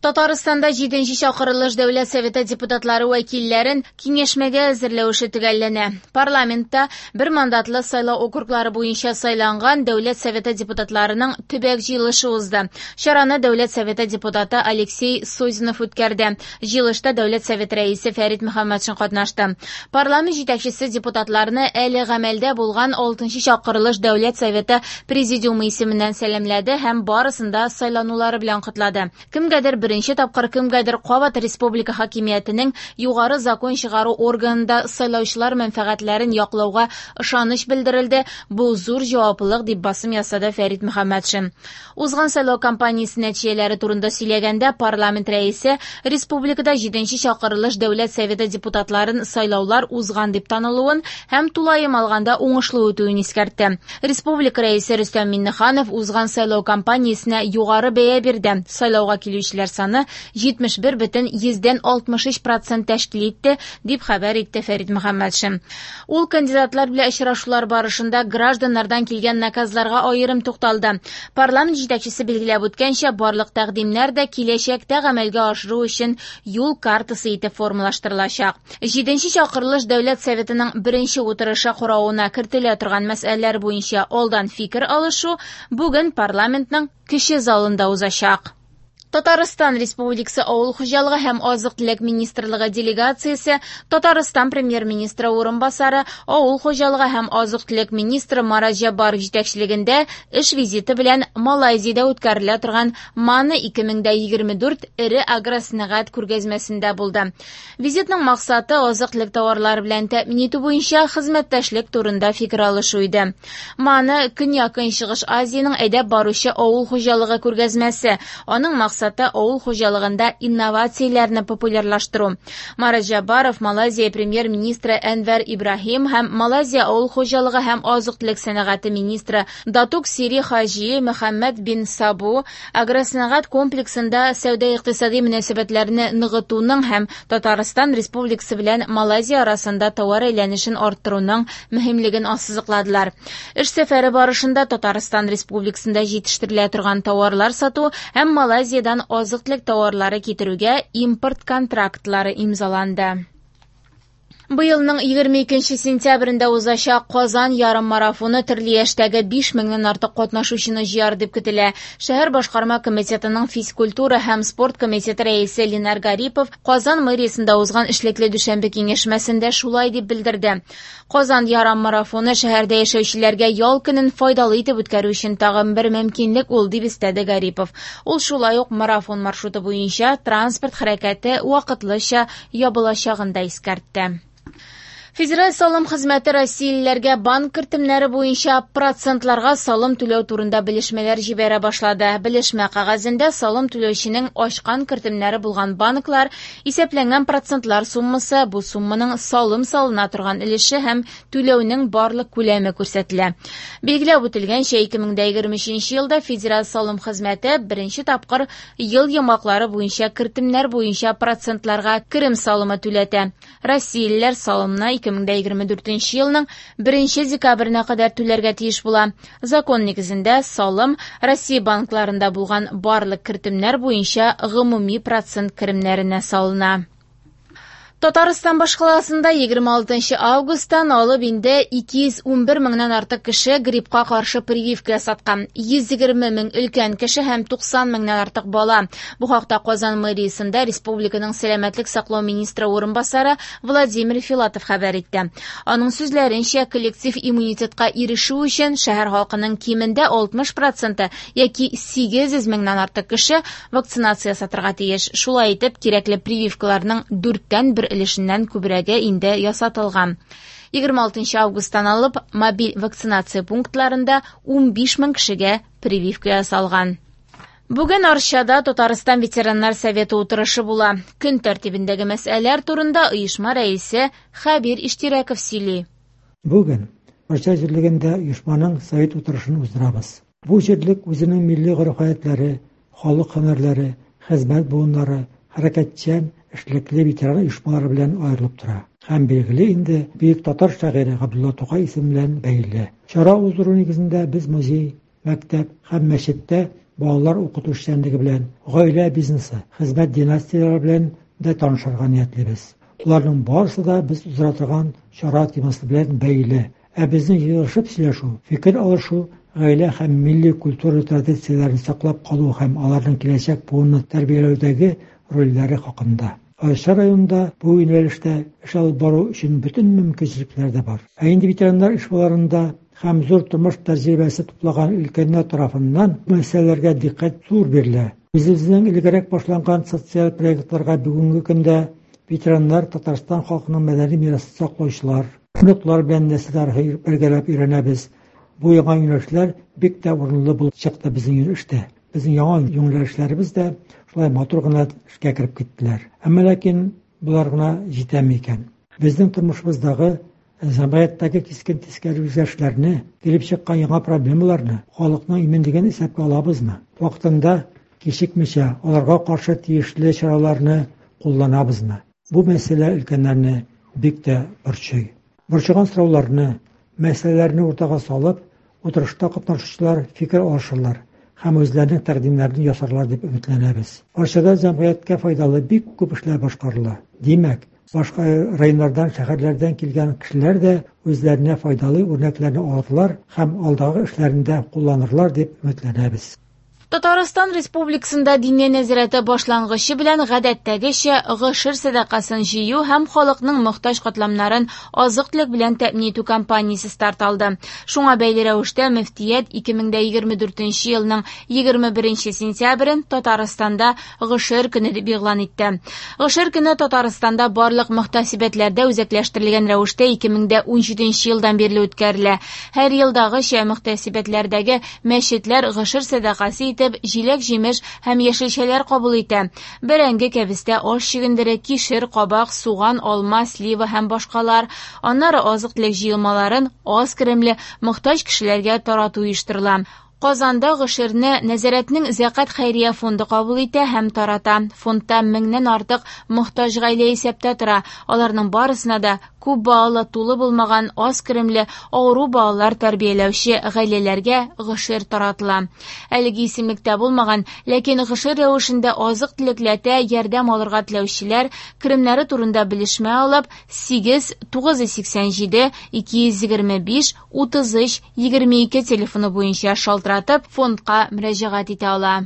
Татарстанда җиденче чакырылыш Дәүләт Советы депутатлары вәкилләрен киңәшмәгә әзерләү эше төгәлләнә. Парламентта бер мандатлы сайлау округлары буенча сайланган Дәүләт Советы депутатларының төбәк җыелышы узды. Чараны Дәүләт Советы депутаты Алексей Созинов үткәрде. Җыелышта Дәүләт Советы рәисе Фәрит Мөхәммәтшин катнашты. Парламент җитәкчесе депутатларны әле гамәлдә булган алтынчы чакырылыш Дәүләт Советы Президиумы исеменнән сәламләде һәм барысын да сайланулары белән котлады. Кемгәдер беренче тапкыр, кемгәдер кабат республика хакимиятенең югары закон чыгару органында сайлаучылар мәнфәгатьләрен яклауга ышаныч белдерелде, бу зур җаваплылык, дип басым ясады Фәрит Мөхәммәтшин. Узган сайлау кампаниясе нәтиҗәләре турында сөйләгәндә, парламент рәисе республикада җиденче чакырылыш Дәүләт Советы депутатларын сайлаулар узган дип танылуын һәм тулаем алганда уңышлы үтүен искәртте. Республика Рәисе Рөстәм Миңнеханов узган сайлау кампаниясенә югары бәя бирде. Сайлауга килүчеләр саны 71,63 процент тәшкил итте, дип хәбәр итте Фәрит Мөхәммәтшин. Ул кандидатлар белән очрашулар барышында гражданнардан килгән наказларга аерым тукталды. Парламент җитәкчесе билгеләп үткәнчә, барлык тәкъдимнәр дә киләчәктә гамәлгә ашыру өчен юл картасы итеп формалаштырылачак. Җиденче чакырылыш Дәүләт Советының беренче утырышы каравына кертелә торган мәсьәләләр буенча алдан фикер алышу бүген парламентның кече залында узачак. Татарстан Республикасы Авыл хуҗалыгы һәм азык-төлек министрлыгы делегациясе Татарстан Премьер-министры урынбасары, авыл хуҗалыгы һәм азык-төлек министры Марат Җәббаров җитәкчелегендә эш визиты белән Малайзиядә үткәрелә торган МАНА 2024 эре агросәнәгать күргәзмәсендә булды. Визитның максаты азык-төлек товарлары белән тәэмин итү буенча хезмәттәшлек турында фикер алышу иде. Маны Көньяк-Көнчыгыш Азиянең әйдәп баручы авыл хуҗалыгы күргәзмәсе. Аның максаты авыл хуҗалыгында инновацияләрне популярлаштыру. Марат Җәббаров Малайзия премьер-министры Әнвәр Ибраһим һәм Малайзия авыл хуҗалыгы һәм азык-төлек сәнәгате министры Датук Сири Хаҗи Мөхәммәд бин Сабу Агросәнәгать комплексында сәүдә-икътисади мөнәсәбәтләрне ныгытуның һәм Татарстан Республикасы белән Малайзия арасында товар әйләнешен арттыруның мөһимлеген ассызыкладылар. Эш сәфәре барышында Татарстан Республикасында җитештерелә торган товарлар сату һәм Малайзиядән азык-төлек товарлары китерүгә импорт контрактлары имзаланды. Быелның 22 сентябрендә узачак Казан ярыммарафоны төрле яшьтәге 5 меңнән артык катнашучыны җыяр дип көтелә. Шәһәр башкарма комитетының физкультура һәм спорт комитеты рәисе Ленар Гарипов Казан мэриясендә узган эшлекле дүшәмбе киңәшмәсендә шулай дип белдерде. Казан ярыммарафоны шәһәрдә яшәүчеләргә ял көнен файдалы итеп үткәрү өчен тагын бер мөмкинлек ул, дип өстәде Гарипов. Ул шулай ук марафон маршруты буенча транспорт хәрәкәте вакытлыча ябылачагын да искәртте. Федераль салым хезмәте россиялеләргә банк кертемнәре буенча процентларга салым түләү турында белешмәләр җибәрә башлады. Белешмә кәгазендә салым түләүченең ачкан кертемнәре булган банклар, исәпләнгән процентлар суммасы, бу сумманың салым салына торган өлеше һәм түләүнең барлык күләме күрсәтелә. Билгеләп үтелгәнчә, 2023 елда Федераль салым хезмәте беренче тапкыр Ел йомгаклары буенча кертемнәр буенча процентларга керем салымы түләтә. Россиялеләр салымны 2024 елның 1 декабренә кадәр түләргә тиеш була. Закон нигезендә салым Россия банкларында булган барлык кертемнәр буенча гомуми процент керемнәренә салына. Татарстан башкаласында 26 августтан алып инде 211 меңнән артык кеше гриппка каршы прививка ясаткан. 120 мең өлкән кеше һәм 90 меңнән артык бала. Бу хакта Казан мэриясендә республиканың сәламәтлек саклау министры урынбасары Владимир Филатов хәбәр итте. Аның сүзләренчә, коллектив иммунитетка ирешү өчен шәһәр халкының кимендә 60 проценты яки 800 меңнән артык кеше вакцинация ясатырга тиеш. Шулай итеп, кирәкле прививкаларның дүрттән бер өлешеннән күбрәге инде ясатылган. 26 августтан алып мобиль вакцинация пунктларында 15 мең кешегә прививка ясалган. Бүген Арчада Татарстан ветераннар советы утырышы була. Көн тәртибендәге мәсьәләләр турында оешма рәисе Хәбир Иштирәков сөйли. Бүген Арча җирлегендә оешманың совет утырышын уздырабыз. Бу җирлек үзенең милли гореф-гадәтләре, халык һөнәрләре, хезмәт буыннары, хәрәкәтчән, эшлекле ветеран оешмалары белән аерылып тора. Һәм, билгеле инде, бөек татар шагыйре Габдулла Тукай исеме белән бәйле. Чара уздыру нигезендә без музей, мәктәп һәм мәчеттә балалар укыту эшчәнлеге белән, гаилә бизнесы, хезмәт династияләре белән дә танышырга ниятлибез. Боларның барысы да без уздыра торган чара темасы белән бәйле. Ә безнең җыелышып сөйләшү, фикер алышу гаилә һәм милли культура традицияләрен саклап калу һәм аларның киләчәк буынны тәрбияләүдәге рольләре хакында. Арча районында бу юнәлештә эш алып бару өчен бөтен мөмкинчелекләр дә бар. Ә инде ветераннар оешмаларында һәм зур тормыш тәҗрибәсе туплаган өлкәннәр тарафыннан бу мәсьәләләргә дикъкать зур бирелә. Үзебезнең элегрәк башланган социаль проектларга бүгенге көндә ветераннар Татарстан халкының мәдәни мирасын саклаучылар, оныклар белән нәсел тарихы бергәләп өйрәнәбез. Бу яңа юнәлешләр бик тә урынлы булып чыкты безнең эштә. Безнең яңа юнәлешләребез дә шулай матур гына эшкә кереп киттеләр. Әмма ләкин болар гына җитәме икән? Безнең тормышыбыздагы җәмгыятьтәге кискен тискәре үзгәрешләрне, килеп чыккан яңа проблемаларны, халыкның иминлеген исәпкә алабызмы? Вакытында, кичекмичә, аларга каршы тиешле чараларны кулланабызмы? Бу мәсьәлә өлкәннәрне бик тә борчый. Борчыган сорауларны, мәсьәләләрне уртага салып, утырышта катнашучылар фикер алышырлар һәм үзләренең тәкъдимнәрен ясарлар дип өметләнәбез. Арчада җәмгыятькә файдалы бик күп эшләр башкарыла. Димәк, башка районнардан, шәһәрләрдән килгән кешеләр дә үзләренә файдалы үрнәкләрне алырлар һәм алдагы эшләрендә кулланырлар дип өметләнәбез. Татарстан Республикасында Диния нәзарәте башлангычы белән гадәттәгечә гошер сәдакасын җыю һәм халыкның мохтаҗ катламнарын азык-төлек белән тәэмин итү кампаниясе старт алды. Шуңа бәйле рәвештә мөфтият 2024 елның 21 сентябрен Татарстанда гошер көне дип игълан итте. Гошер көне Татарстанда барлык мөхтәсибәтләрдә үзәкләштерелгән рәвештә 2017 елдан бирле үткәрелә. Һәр елдагыча мөхтәсибәтләрдәге мәчетләр гошер сәдакасы итеп җиләк-җимеш һәм яшелчәләр кабул итә. Бәрәңге, кәбестә, аш чөгендере, кишер, кабак, суган, алма, слива һәм башкалар. Аннары азык-төлек җыелмаларын аз керемле, мохтаҗ кешеләргә тарату оештырыла. Казанда гошерне Нәзарәтнең Зәкать хәйрия фонды кабул итә һәм тарата. Фондта меңнән артык мохтаҗ гаилә исәптә тора. Аларның барысына да күп балалы, тулы булмаган, аз керемле, авыру балалар тәрбияләүче гаиләләргә гошер таратыла. Әлеге исемлектә булмаган, ләкин гошер рәвешендә азык-төлекләтә ярдәм алырга теләүчеләр керемнәре турында белешмә алып, 8 987 225 33 22 телефоны буенча шалтыратып, фондка мөрәҗәгать итә ала.